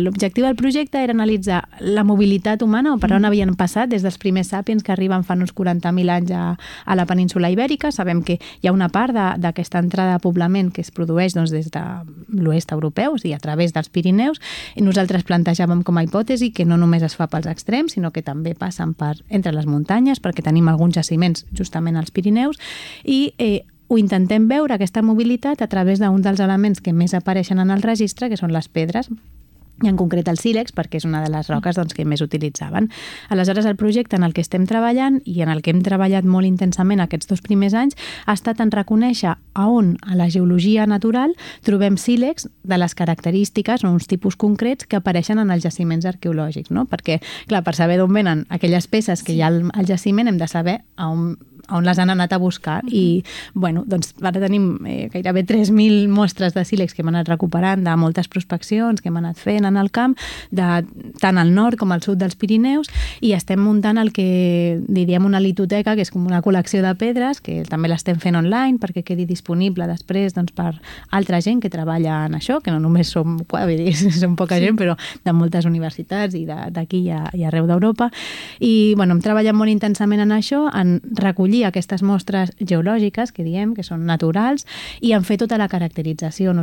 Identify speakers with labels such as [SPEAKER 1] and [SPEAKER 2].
[SPEAKER 1] L'objectiu del projecte era analitzar la mobilitat humana, o per on havien passat des dels primers sàpiens que arriben fa uns 40.000 anys a la península Ibèrica. Sabem que hi ha una part d'aquesta entrada de poblament que es produeix des de l'oest europeu, és a dir, a través dels Pirineus, i nosaltres plantejàvem com a hipòtesi que no només es fa pels extrems, sinó que també passen entre les muntanyes, perquè tenim alguns jaciments justament als Pirineus, i ho intentem veure, aquesta mobilitat, a través d'un dels elements que més apareixen en el registre, que són les pedres, i en concret el sílex, perquè és una de les roques que més utilitzaven. Aleshores, el projecte en el que estem treballant i en el que hem treballat molt intensament aquests 2 primers anys ha estat en reconèixer on a la geologia natural trobem sílex de les característiques o uns tipus concrets que apareixen en els jaciments arqueològics, no? Perquè, clar, per saber d'on venen aquelles peces que hi ha al jaciment hem de saber on les han anat a buscar. I, bueno, doncs ara tenim gairebé 3.000 mostres de sílex que hem anat recuperant de moltes prospeccions que hem anat fent en el camp, tant al nord com al sud dels Pirineus, i estem muntant el que diríem una litoteca, que és com una col·lecció de pedres, que també l'estem fent online perquè quedi disponible després per altra gent que treballa en això, que no només som poca gent, però de moltes universitats i d'aquí i arreu d'Europa. I bueno, hem treballat molt intensament en això, en recollir aquestes mostres geològiques, que diem, que són naturals, i en fer tota la caracterització.